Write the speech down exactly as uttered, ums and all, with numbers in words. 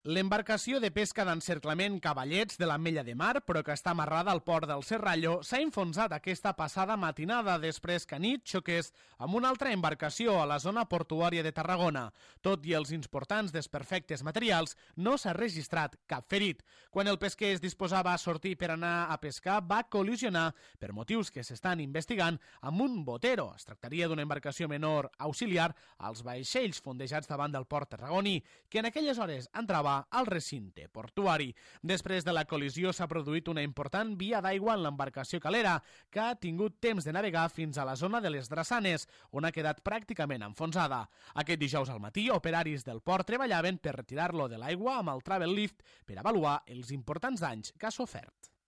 L'embarcació de pesca d'encerclament Cavallets de l'Ametlla de Mar, però que està amarrada al port del Serrallo, s'ha enfonsat aquesta passada matinada després que anit xoqués amb una altra embarcació a la zona portuària de Tarragona. Tot i els importants desperfectes materials, no s'ha registrat cap ferit. Quan el pesquer es disposava a sortir per anar a pescar, va col·lisionar, per motius que s'estan investigant, amb un botero. Es tractaria d'una embarcació menor auxiliar als vaixells fondejats davant del port tarragoní, que en aquelles hores entrava al recinte portuari. Després de la col·lisió s'ha produït una important via d'aigua en l'embarcació calera, que ha tingut temps de navegar fins a la zona de les Drassanes, on ha quedat pràcticament enfonsada. Aquest dijous al matí, operaris del port treballaven per retirar-lo de l'aigua amb el Travel Lift per avaluar els importants danys que ha sofert.